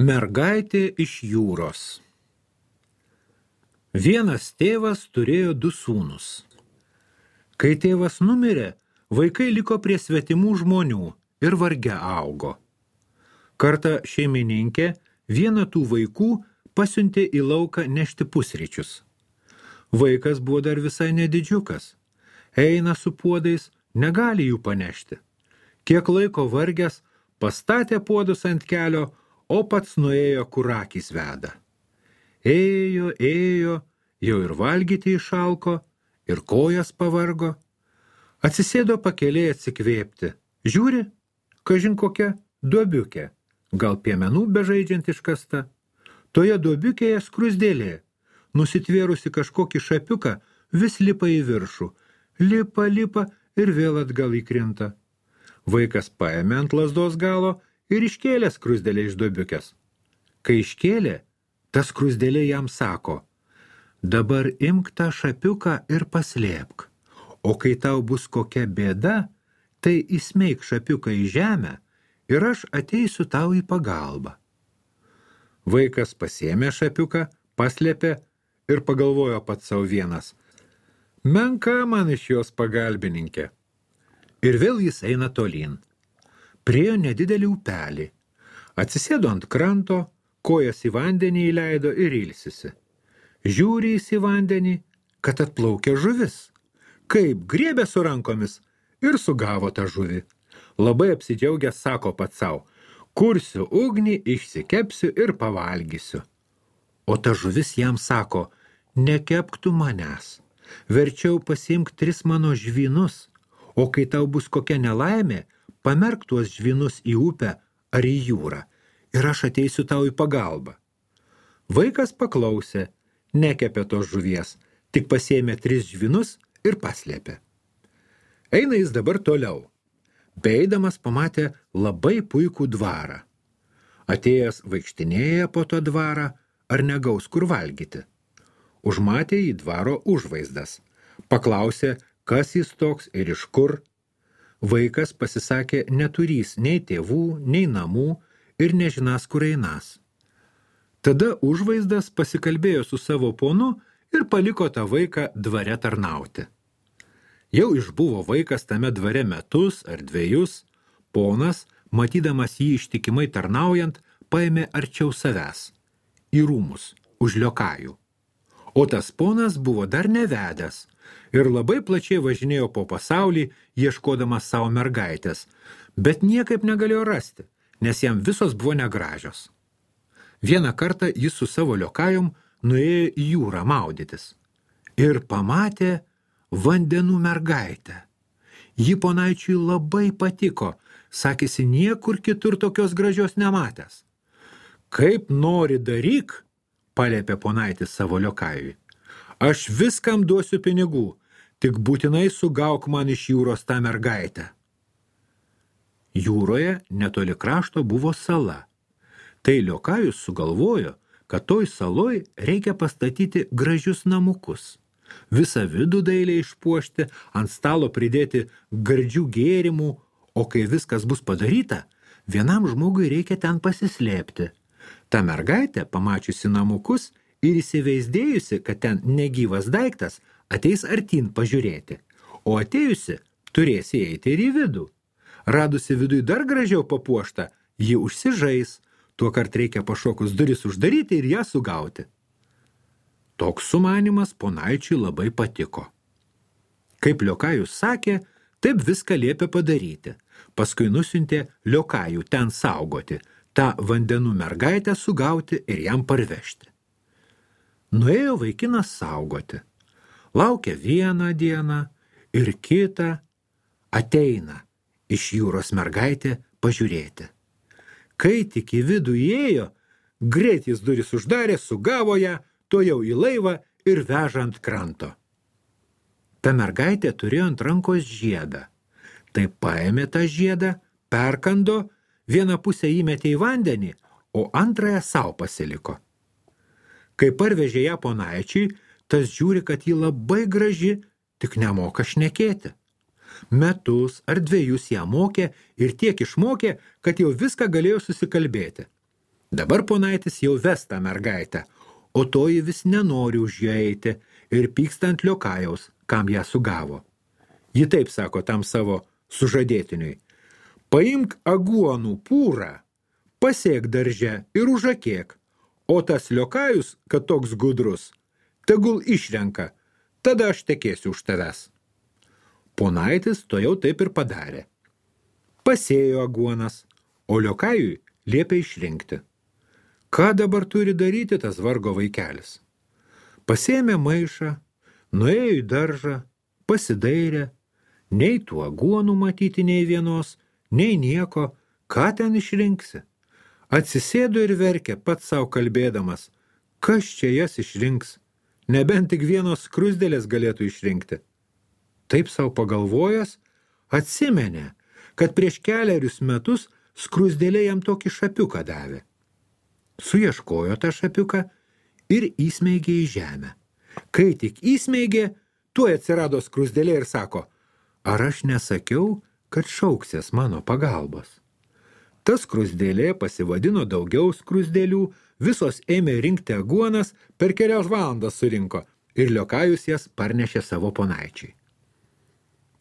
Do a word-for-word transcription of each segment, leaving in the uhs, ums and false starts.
Mergaitė iš jūros. Vienas tėvas turėjo du sūnus. Kai tėvas numirė, vaikai liko prie svetimų žmonių ir varge augo. Kartą šeimininkė vieną tų vaikų pasiuntė į lauką nešti pusryčius. Vaikas buvo dar visai nedidžiukas. Eina su puodais, negali jų panešti. Kiek laiko vargęs, pastatė puodus ant kelio, o pats nuėjo, kur akys veda. Ėjo, ėjo, jau ir valgyti išalko, ir kojas pavargo. Atsisėdo pakelėj atsikvėpti. Žiūri, kažin kokia duobiukė, gal piemenų bežaidžiant iškasta. Toje duobiukėje skruzdėlė, nusitvėrusi kažkokį šapiuką, vis lipa į viršų. Lipa, lipa ir vėl atgal įkrinta. Vaikas paėmė ant lazdos galo ir iškėlė skruzdėlę iš duobiukės. Kai iškėlė, ta skruzdėlė jam sako: dabar imk tą šapiuką ir paslėpk, o kai tau bus kokia bėda, tai įsmeik šapiuką į žemę ir aš ateisiu tau į pagalbą. Vaikas pasiėmė šapiuką, paslėpė ir pagalvojo pats savo vienas: menka man iš jos pagalbininkė. Ir vėl jis eina tolyn. Priėjo nedidelį upelį. Atsisėdo ant kranto, kojas į vandenį įleido ir ilsisi. Žiūri jis į vandenį, kad atplaukia žuvis. Kaip griebė su rankomis ir sugavo tą žuvį. Labai apsidžiaugęs sako pats sau: kursiu ugnį, išsikepsiu ir pavalgysiu. O ta žuvis jam sako: nekepk tu manęs, verčiau pasiimk tris mano žvynus, o kai tau bus kokia nelaimė, pamerk tuos žvynus į upę ar į jūrą ir aš ateisiu tau į pagalbą. Vaikas paklausė, nekepė tos žuvies, tik pasiėmė tris žvynus ir paslėpė. Eina jis dabar toliau. Beeidamas pamatė labai puikų dvarą. Atėjęs vaikštinėja po to dvarą, ar negaus kur valgyti. Užmatė į dvaro užvaizdas. Paklausė, kas jis toks ir iš kur. Vaikas pasisakė neturys nei tėvų, nei namų ir nežinas, kur einas. Tada užvaizdas pasikalbėjo su savo ponu ir paliko tą vaiką dvare tarnauti. Jau išbuvo vaikas tame dvare metus ar dvejus. Ponas, matydamas jį ištikimai tarnaujant, paėmė arčiau savęs, į rūmus, už liokajų. O tas ponas buvo dar nevedęs ir labai plačiai važinėjo po pasaulį, ieškodamas savo mergaitės, bet niekaip negalėjo rasti, nes jam visos buvo negražios. Vieną kartą jis su savo liokajom nuėjo į jūrą maudytis ir pamatė vandenų mergaitę. Ji ponaičiui labai patiko, sakėsi niekur kitur tokios gražios nematęs. Kaip nori daryk, paliepė ponaitis savo liokajui. Aš viskam duosiu pinigų, tik būtinai sugauk man iš jūros tą mergaitę. Jūroje netoli krašto buvo sala. Tai liokajus sugalvojo, kad toj saloj reikia pastatyti gražius namukus. Visą vidų dailiai išpuošti, ant stalo pridėti gardžių gėrimų, o kai viskas bus padaryta, vienam žmogui reikia ten pasislėpti. Ta mergaitė, pamačiusi namukus ir įsivaizdėjusi, kad ten negyvas daiktas, ateis artyn pažiūrėti, o atėjusi turės įeiti ir į vidų. Radusi viduj dar gražiau papuoštą, ji užsižais, tuokart reikia pašokus duris uždaryti ir ją sugauti. Toks sumanymas ponaičiui labai patiko. Kaip liokajus sakė, taip viską liepė padaryti. Paskui nusiuntė liokajų ten saugoti, tą vandenų mergaitę sugauti ir jam parvežti. Nuėjo vaikinas saugoti. Laukia vieną dieną ir kitą, ateina iš jūros mergaitė pažiūrėti. Kai tik į vidų įėjo, greit jis duris uždarė, sugavo ją, to jau į laivą ir veža ant kranto. Ta mergaitė turėjo ant rankos žiedą. Tai paėmė tą žiedą, perkando, vieną pusę įmetė į vandenį, o antrąją sau pasiliko. Kai parvežė ją ponaičiui, tas žiūri, kad ji labai graži, tik nemoka šnekėti. Metus ar dviejus ją mokė ir tiek išmokė, kad jau viską galėjo susikalbėti. Dabar ponaitis jau ves tą mergaitę, o toji vis nenori už ją eiti ir pyksta ant Liokajaus, kam ją sugavo. Ji taip sako tam savo sužadėtiniui: paimk aguonų pūrą, pasėk darže ir užakėk, o tas Liokajus, kad toks gudrus, tegul išrenka, tada aš tekėsiu už tavęs. Ponaitis to jau taip ir padarė. Pasėjo aguonas, o Liokajui liepė išrinkti. Ką dabar turi daryti tas vargo vaikelis? Pasėmė maišą, nuėjo į daržą, pasidairė, nei tų aguonų matyti nei vienos, nei nieko, ką ten išrinksi. Atsisėdo ir verkė pats savo kalbėdamas, kas čia jas išrinks, nebent tik vienos skruzdėlės galėtų išrinkti. Taip savo pagalvojęs, atsimenė, kad prieš kelerius metus skruzdėlė jam tokį šapiuką davė. Suieškojo tą šapiuką ir įsmeigė į žemę. Kai tik įsmeigė, tuoj atsirado skruzdėlė ir sako: ar aš nesakiau, kad šauksies mano pagalbos? Ta skruzdėlė pasivadino daugiau skruzdėlių, visos ėmė rinkti aguonas, per kelias valandas surinko ir Liokajus jas parnešė savo ponaičiai.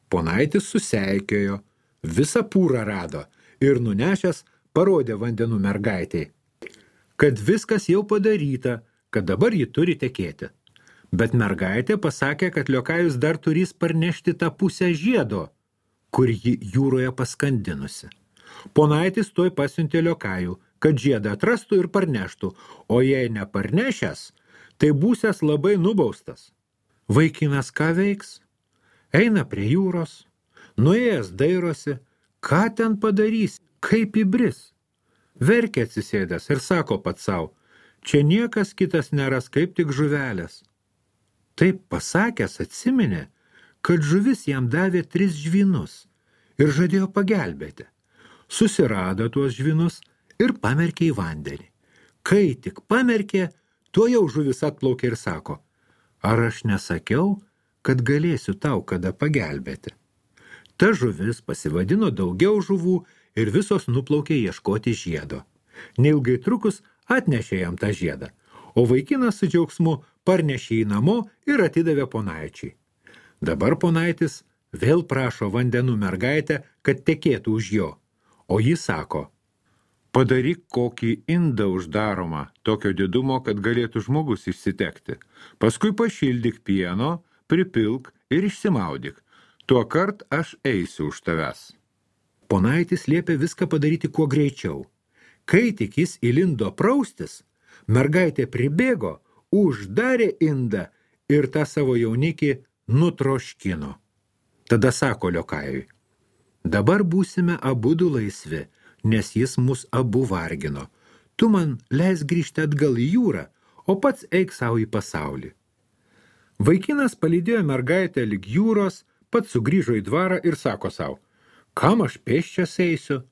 Ponaitis suseikėjo, visą pūrą rado ir nunešęs parodė vandenų mergaitei, kad viskas jau padaryta, kad dabar ji turi tekėti. Bet mergaitė pasakė, kad Liokajus dar turės parnešti tą pusę žiedo, kur ji jūroje paskandinusi. Ponaitis tuoj pasiuntė Liokajų, kad žiedą atrastų ir parneštų, o jei neparnešęs, tai būsias labai nubaustas. Vaikinas ką veiks? Eina prie jūros, nuėjęs dairosi, ką ten padarys, kaip įbris. Verkia atsisėdęs ir sako pats savo: čia niekas kitas neras kaip tik žuvelės. Taip pasakęs atsiminė, kad žuvis jam davė tris žvynus ir žadėjo pagelbėti. Susirado tuos žvynus ir pamerkė į vandenį. Kai tik pamerkė, tuo jau žuvis atplaukė ir sako: ar aš nesakiau, kad galėsiu tau kada pagelbėti? Ta žuvis pasivadino daugiau žuvų ir visos nuplaukė ieškoti žiedo. Neilgai trukus atnešė jam tą žiedą, o vaikinas su džiaugsmu parnešė į namo ir atidavė ponaičiai. Dabar ponaitis vėl prašo vandenų mergaitę, kad tekėtų už jo, o ji sako: padaryk kokį indą uždaromą, tokio didumo, kad galėtų žmogus išsitekti. Paskui pašildyk pieno, pripilk ir išsimaudyk. Tuo kart aš eisiu už tavęs. Ponaitis liepė viską padaryti kuo greičiau. Kai tik jis įlindo praustis, mergaitė pribėgo, uždarė indą ir tą savo jaunikį nutroškino. Tada sako Liokajui: dabar būsime abudu laisvi, nes jis mus abu vargino. Tu man leis grįžti atgal į jūrą, o pats eik savo į pasaulį. Vaikinas palydėjo mergaitę lig jūros, pats sugrįžo į dvarą ir sako savo: kam aš pėsčias eisiu?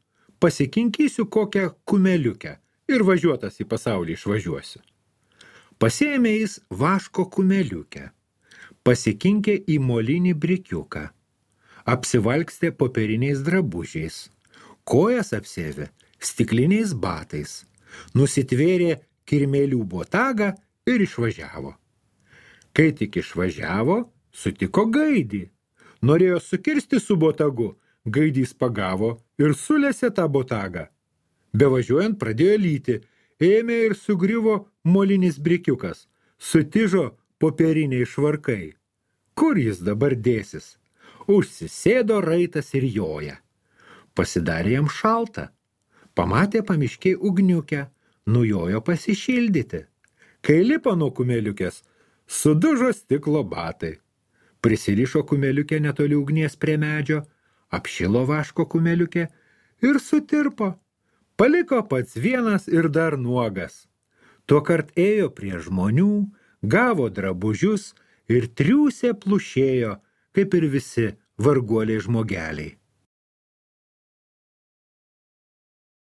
Pasikinkysiu kokią kumeliukę ir važiuotas į pasaulį išvažiuosiu. Pasėmė jis vaško kumeliukę, pasikinkė į molinį brikiuką, apsivalkstė popieriniais drabužiais, kojas apsėvė stikliniais batais, nusitvėrė kirmėlių botagą ir išvažiavo. Kai tik išvažiavo, sutiko gaidį. Norėjo sukirsti su botagu, gaidys pagavo ir sulėsė tą botagą. Bevažiuojant pradėjo lyti, ėmė ir sugriuvo molinis brikiukas, sutižo popieriniai švarkai. Kur jis dabar dėsis? Užsisėdo raitas ir joja. Pasidarė jam šalta. Pamatė pamiškiai ugniukę, nujojo pasišildyti. Kai lipo nuo kumeliukės, sudužo stiklo batai. Prisirišo kumeliukę netoli ugnies prie medžio, apšilo vaško kumeliukę ir sutirpo. Paliko pats vienas ir dar nuogas. Tuokart ėjo prie žmonių, gavo drabužius ir triūsė plušėjo, kaip ir visi varguoliai žmogeliai.